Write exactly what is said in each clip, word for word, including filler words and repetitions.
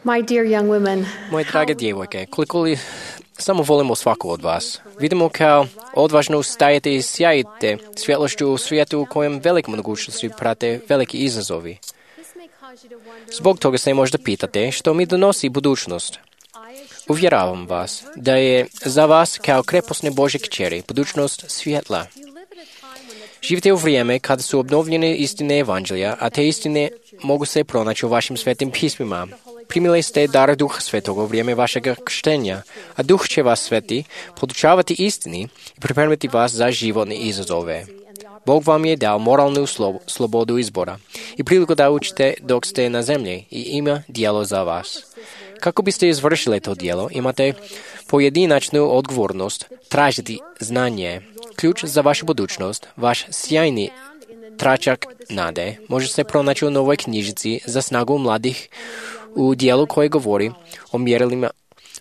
My dear young women, Moje drage djevojke, koliko li samo volimo svaku od vas. Vidimo kao odvažno stajete i sjajite svjetlošću u svijetu u kojem velike mogućnosti prate veliki izazovi. Zbog toga se možda pitate što mi donosi budućnost. Uvjeravam vas da je za vas kao krepostne Božje kćeri budućnost svjetla. Živite u vrijeme kada su obnovljene istine evanđelja, a te istine mogu se pronaći u vašim svetim pismima. Primili ste dar Duha Svetoga u vrijeme vašeg krštenja, a Duh će vas sveti, podučavati istini i pripremiti vas za životne izazove. Bog vam je dao moralnu slobodu izbora i priliku da učite dok ste na zemlji i ima djelo za vas. Kako biste izvršili to djelo, imate pojedinačnu odgovornost tražiti znanje. Ključ za vašu budućnost, vaš sjajni tračak nade, može se pronaći u novoj knjižici za snagu mladih u dijelu koje govori o mjerilima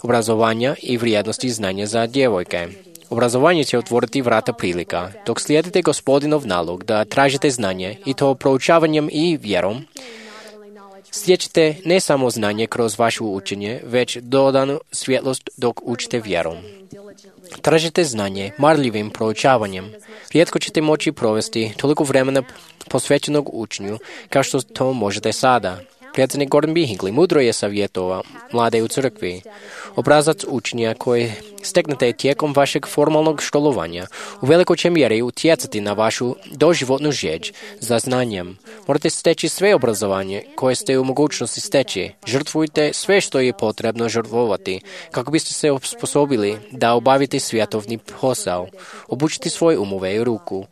obrazovanja i vrijednosti znanja za djevojke. Obrazovanje će otvoriti vrata prilika, dok slijedite Gospodinov nalog da tražite znanje i to proučavanjem i vjerom, stječete ne samo znanje kroz vaše učenje, već dodanu svjetlost dok učite vjerom. Tražite znanje marljivim proučavanjem. Rijetko ćete moći provesti toliko vremena posvećenog učenju kao što to možete sada. Predsjednik Gordon B. Hinckley mudro je savjetovao mlade u crkvi. Obrazac učenja koji steknete tijekom vašeg formalnog školovanja u velikoj će mjeri utjecati na vašu doživotnu žeđ za znanjem. Morate steći sve obrazovanje koje ste u mogućnosti steći. Žrtvujte sve što je potrebno žrtvovati kako biste se osposobili da obavite svjetovni posao. Obučite svoje umove i ruku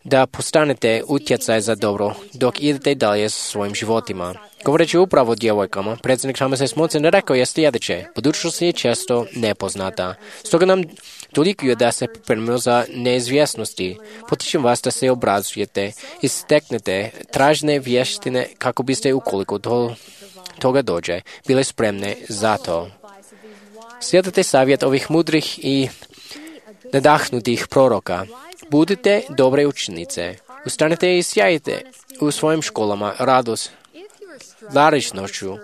da postanete utjecaj za dobro dok idete dalje sa svojim životima. Govoreći upravo o djevojkama, predsjednik Thomas S. Monson rekao je sljedeće: budućnost je često nepoznata. Stoga nam dolikuje da se pripremimo za neizvjesnosti. Potičem vas da se obrazujete i steknete tražne vještine kako biste, ukoliko do toga dođe, bile spremne za to. Slijedite savjet ovih mudrih i nadahnutih proroka. Budite dobre učenice. Ustanite i sjajite u svojim školama radost, darišnošću,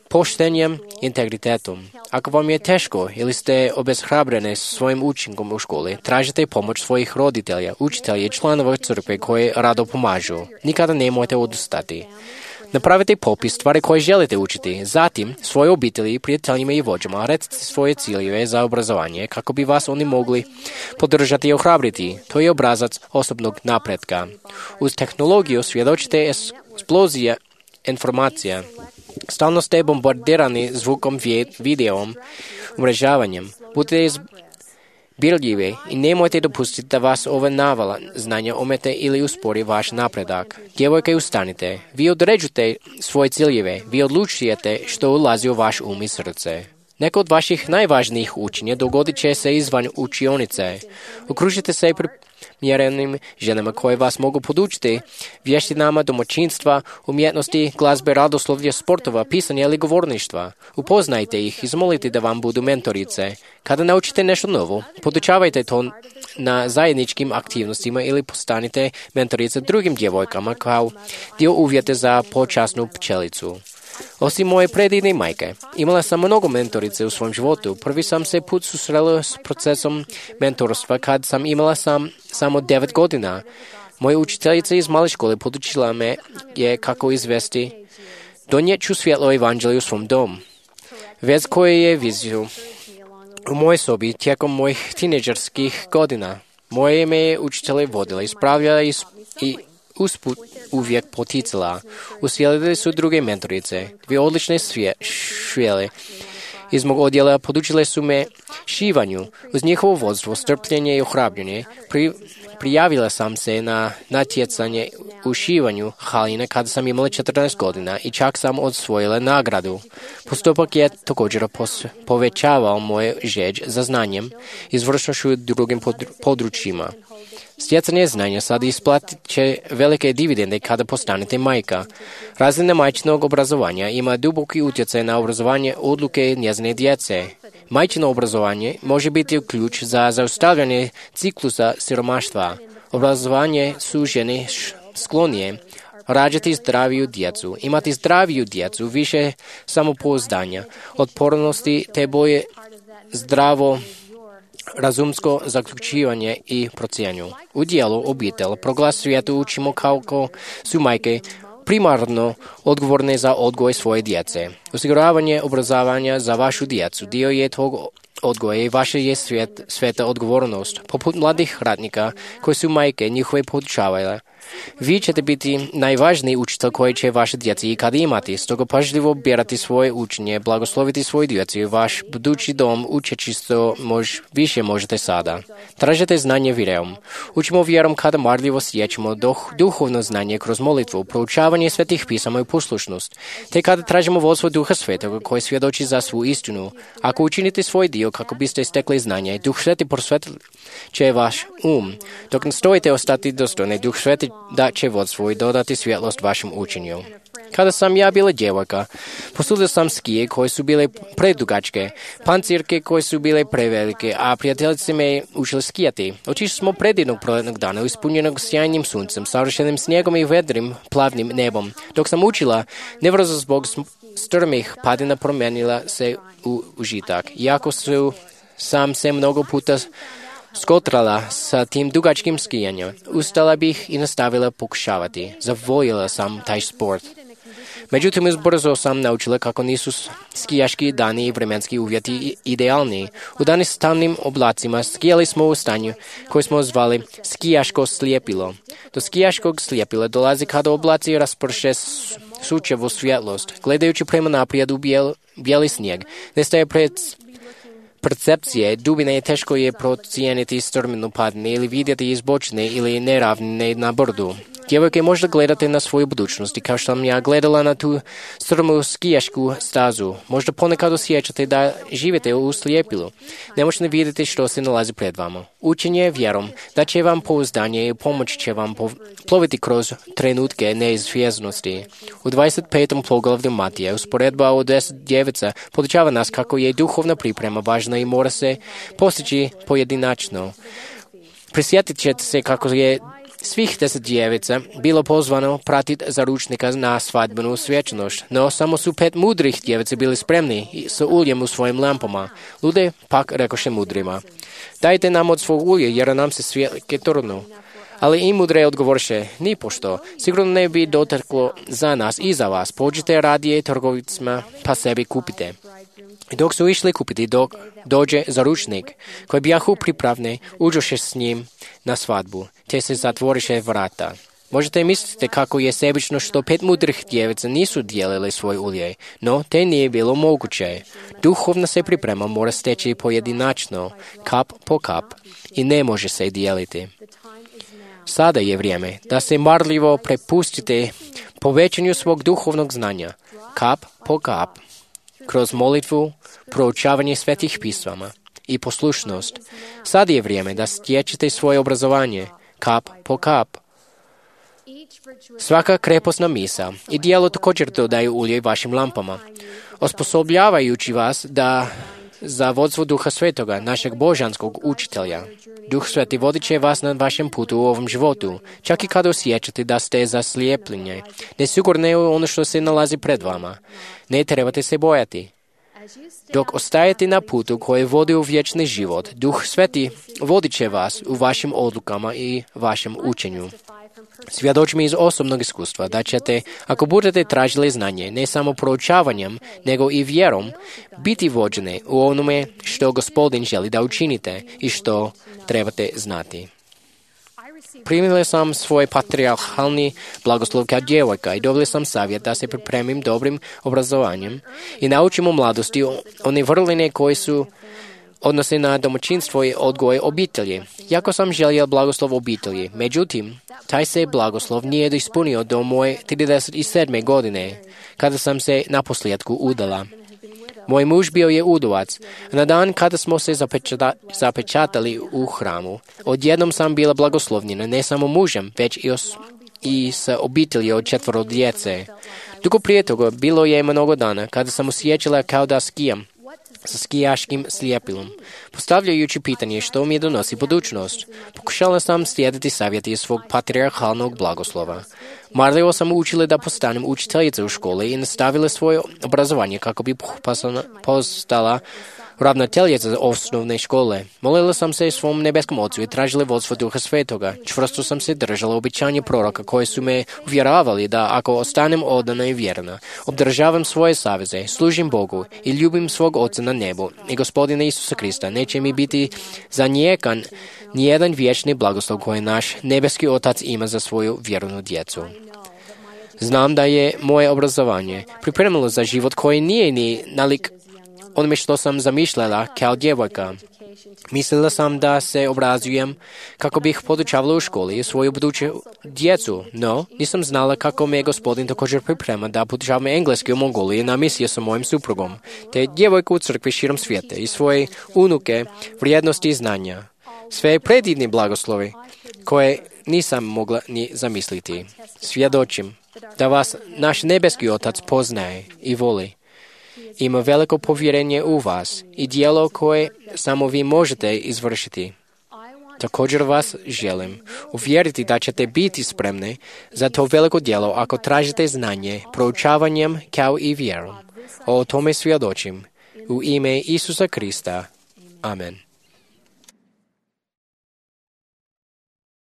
poštenjem, integritetom. Ako vam je teško ili ste obeshrabrene svojim učinkom u školi, tražite pomoć svojih roditelja, učitelja i članova crkve koji rado pomažu. Nikada nemojte odustati. Napravite popis stvari koje želite učiti. Zatim, svoje obitelji, prijateljima i vođama recite svoje ciljeve za obrazovanje kako bi vas oni mogli podržati i ohrabriti. To je obrazac osobnog napretka. Uz tehnologiju svjedočite eksplozija informacija. Stalno ste bombardirani zvukom, videom, umrežavanjem. Budite birljivi i nemojte dopustiti da vas ova navala znanja omete ili uspori vaš napredak. Djevojke, ustanite. Vi određujete svoje ciljeve. Vi odlučujete što ulazi u vaš um i srce. Neko od vaših najvažnijih učenja dogodit će se izvan učionice. Okružite se primjerenim ženama koje vas mogu podučiti vještinama domaćinstva, umjetnosti, glazbe, radoslovlja, sportova, pisanja ili govorništva. Upoznajte ih i zamolite da vam budu mentorice. Kada naučite nešto novo, podučavajte to na zajedničkim aktivnostima ili postanite mentorice drugim djevojkama kao dio uvjeta za počasnu pčelicu. Osim moje predivne majke, imala sam mnogo mentorice u svom životu. Prvi sam se put susrela s procesom mentorstva kad sam imala sam samo devet godina. Moja učiteljica iz male škole podučila me je kako izvesti donijeću svjetlo evanđelja u svom domu. Vez koje je viziju u mojoj sobi tijekom mojih tineđerskih godina. Moje me je učitelje vodila, ispravljala i, i usput uvijek poticala. Uslijedili su druge mentorice, dvije odlične švele. Iz mog odjela podučile su me šivanju. Uz njihovo vodstvo, strpljenje i ohrabljenje pri, prijavila sam se na natjecanje u šivanju haline kada sam imala četrnaest godina i čak sam osvojila nagradu. Postupak je također pos, povećavao moje žeđ za znanjem i izvršnošću u drugim područjima. Stjecanje znanja sad isplatit će velike dividende kada postanete majka. Razina majčinog obrazovanja ima duboki utjecaj na obrazovanje odluke njezine djece. Majčino obrazovanje može biti ključ za zaustavljanje ciklusa siromaštva. Obrazovanje su žene sklonije rađati zdraviju djecu, imati zdraviju djecu, više samopouzdanja, otpornosti te boje zdravo razumsko zaključivanje i procjenju. U dijelu obitelj proglas svijetu učimo kako su majke primarno odgovorne za odgoj svoje djece. Osiguravanje obrazovanja za vašu djecu dio je tog odgoja i vaša je svijet, sveta odgovornost. Poput mladih radnika koji su majke njihove podučavale. Vi ćete biti najvažniji učitelj koji će vaše djeci ikada imati, stoga pažljivo birati svoje učenje, blagosloviti svoju djecu i vaš budući dom učeći što mož, više možete sada. Tražite znanje vjerom. Učimo vjerom kada marljivo sjećamo duh, duhovno znanje kroz molitvu, proučavanje svetih pisama i poslušnost, te kada tražimo vodstvo Duha Svetoga koji svjedoči za svu istinu. Ako učinite svoj dio kako biste stekli znanje, Duh Sveti prosvetlit će vaš um. Dok nastojite ostati dostojni, Duh Sveti da će vodstvo i dodati svjetlost vašem učenju. Kada sam ja bila djevojka, posudio sam skije koje su bile predugačke, pancirke koje su bile prevelike, a prijateljice me učili skijati. Otišli smo predivnog proletnog dana, ispunjenog sjajnim suncem, savršenim snijegom i vedrim, plavnim nebom. Dok sam učila, nevrzo zbog strmih padina promijenila se u užitak. Iako su sam se mnogo puta skotrala sa tim dugačkim skijanjem, ustala bih i nastavila pokušavati. Zavoljela sam taj sport. Međutim, brzo sam naučila kako nisu skijaški dani i vremenski uvjeti idealni. U dani s tamnim oblacima skijali smo u stanju koje smo zvali skijaško slijepilo. Do skijaškog slijepila dolazi kada oblaci rasprše sučevu svjetlost. Gledajući prema naprijed u bijel, bijeli snijeg, nestaje pred percepcije dubine teško je procijeniti strminu padine ili vidjeti izbočne ili neravnine na brdu. Djevojke, možda gledate na svoju budućnost i kao što sam ja gledala na tu strmu skijašku stazu. Možda ponekad osjećate da živite u slijepilu. Ne možete vidjeti što se nalazi pred vama. Učenje vjerom da će vam pouzdanje i pomoć će vam ploviti kroz trenutke neizvjesnosti. U dvadeset petom poglavlju Matija usporedba od deset djevica podučava nas kako je duhovna priprema važna i mora se postići pojedinačno. Prisjetit ćete se kako je svih deset djevica bilo pozvano pratiti zaručnika na svadbenu svečanost, no samo su pet mudrih djevica bili spremni sa uljem u svojim lampama. Lude pak rekoše mudrima: dajte nam od svog ulja, jer nam se svjetke trnu. Ali i mudre odgovorše: nipošto, sigurno ne bi doteklo za nas i za vas, pođite radije trgovicima pa sebi kupite. I dok su išli kupiti, dok dođe zaručnik, koji bijahu pripravne, uđoše s njim na svadbu, te se zatvoriše vrata. Možete misliti kako je sebično što pet mudrih djevica nisu dijelili svoj ulje, no te nije bilo moguće. Duhovna se priprema mora steći pojedinačno, kap po kap, i ne može se dijeliti. Sada je vrijeme da se marljivo prepustite povećanju svog duhovnog znanja, kap po kap, kroz molitvu, proučavanje svetih pisama i poslušnost. Sad je vrijeme da stječete svoje obrazovanje, kap po kap. Svaka kreposna misa i djelo također dodaju ulje vašim lampama, osposobljavajući vas da za vodstvo Duha Svetoga, našeg božanskog učitelja. Duh Sveti vodit će vas na vašem putu u ovom životu, čak i kada osjećate da ste zaslijepljeni, nesigurni u ono što se nalazi pred vama. Ne trebate se bojati. Dok ostajete na putu koji vodi u vječni život, Duh Sveti vodit će vas u vašim odlukama i vašem učenju. Svjedočim iz osobnog iskustva da ćete, ako budete tražili znanje, ne samo proučavanjem, nego i vjerom, biti vođeni u onome što Gospodin želi da učinite i što trebate znati. Primila sam svoj patrijarhalni blagoslov kao djevojka i dobila sam savjet da se pripremim dobrim obrazovanjem i naučim u mladosti one vrline koje su odnose na domaćinstvo i odgoj obitelji. Jako sam želio blagoslov obitelji, međutim, taj se blagoslov nije ispunio do moje trideset sedme godine, kada sam se naposljetku udala. Moj muž bio je udovac. Na dan kada smo se zapečata, zapečatali u hramu, odjednom sam bila blagoslovljena ne samo mužem, već i, os, i sa obitelji od četvoro djece. Dugo prije toga bilo je mnogo dana kada sam osjećala kao da skijam sa skijaškim slijepilom, postavljajući pitanje što mi donosi budućnost. Pokušala sam slijediti savjeti svog patrijarhalnog blagoslova. Marljivo sam učila da postanem učiteljica u školi i nastavila svoje obrazovanje kako bi postala ravnateljica osnovne škole. Molila sam se svom nebeskom ocu i tražila vodstvo Duha Svetoga. Čvrsto sam se držala obećanja proroka koji su me uvjeravali da ako ostanem odana i vjerna, obdržavam svoje saveze, služim Bogu i ljubim svog Oca na nebu i Gospodina Isusa Krista, neće mi biti zanijekan nijedan vječni blagoslov koji naš nebeski Otac ima za svoju vjernu djecu. Znam da je moje obrazovanje pripremilo za život koji nije ni nalik onome što sam zamišljala kao djevojka. Mislila sam da se obrazujem kako bih podučavala u školi svoju buduću djecu, no nisam znala kako me Gospodin također priprema da podučavam engleski u Mongoliji na misiji sa mojim suprugom, te djevojku u crkvi širom svijeta i svoje unuke vrijednosti i znanja. Sve predivni blagoslovi koje nisam mogla ni zamisliti. Svjedočim da vas naš nebeski Otac poznaje i voli. Ima veliko povjerenje u vas i djelo koje samo vi možete izvršiti. Također vas želim uvjeriti da ćete biti spremni za to veliko djelo ako tražite znanje proučavanjem kao i vjerom. O tome svjedočim u ime Isusa Krista. Amen.